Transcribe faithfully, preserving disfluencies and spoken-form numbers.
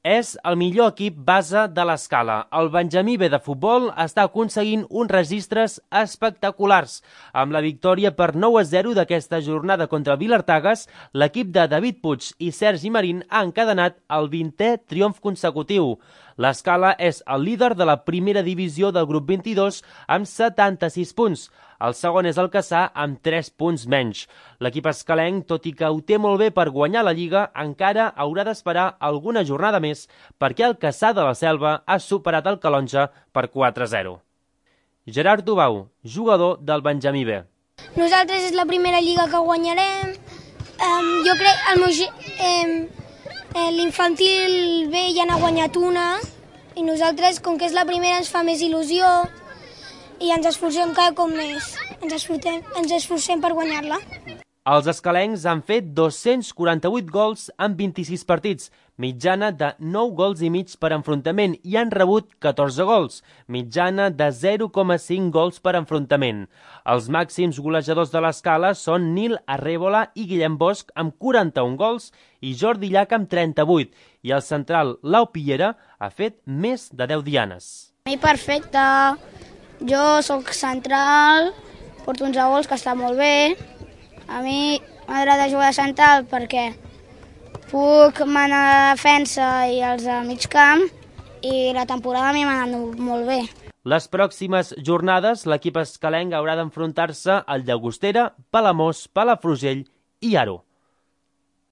És el millor equip base de l'Escala. El Benjamí B de futbol està aconseguint uns registres espectaculars. Amb la victòria per nou a zero d'aquesta jornada contra el Vilartagas, l'equip de David Puig i Sergi Marín ha encadenat el vintè triomf consecutiu. L'Escala és el líder de la primera divisió del grup vint-i-dos amb setanta-sis punts. El segon és el Cassà amb tres punts menys. L'equip escalenc, tot i que ho té molt bé per guanyar la Lliga, encara haurà d'esperar alguna jornada més perquè el Cassà de la Selva ha superat el Calonge per quatre a zero. Gerard Dubau, jugador del Benjamí B. Nosaltres és la primera Lliga que guanyarem. Um, jo crec el meu, um, l'infantil B ja n'ha guanyat una i nosaltres, com que és la primera, ens fa més il·lusió i ens esforcem cada cop més. Ens esforcem, ens esforcem per guanyar-la. Els escalencs han fet dos-cents quaranta-vuit gols en vint-i-sis partits, mitjana de nou gols i mig per enfrontament, i han rebut catorze gols, mitjana de zero coma cinc gols per enfrontament. Els màxims golejadors de l'Escala són Nil Arrébola i Guillem Bosch amb quaranta-un gols i Jordi Llach amb trenta-vuit, i el central Lau Piera ha fet més de deu dianes. A mi perfecte. Jo sóc central, porto uns gols que està molt bé. A mi m'agrada jugar de central perquè puc manar a la defensa i els de mig camp i la temporada a mi m'ha anat molt bé. Les pròximes jornades l'equip escalenc haurà d'enfrontar-se al Llagostera, Palamós, Palafrugell i Aro.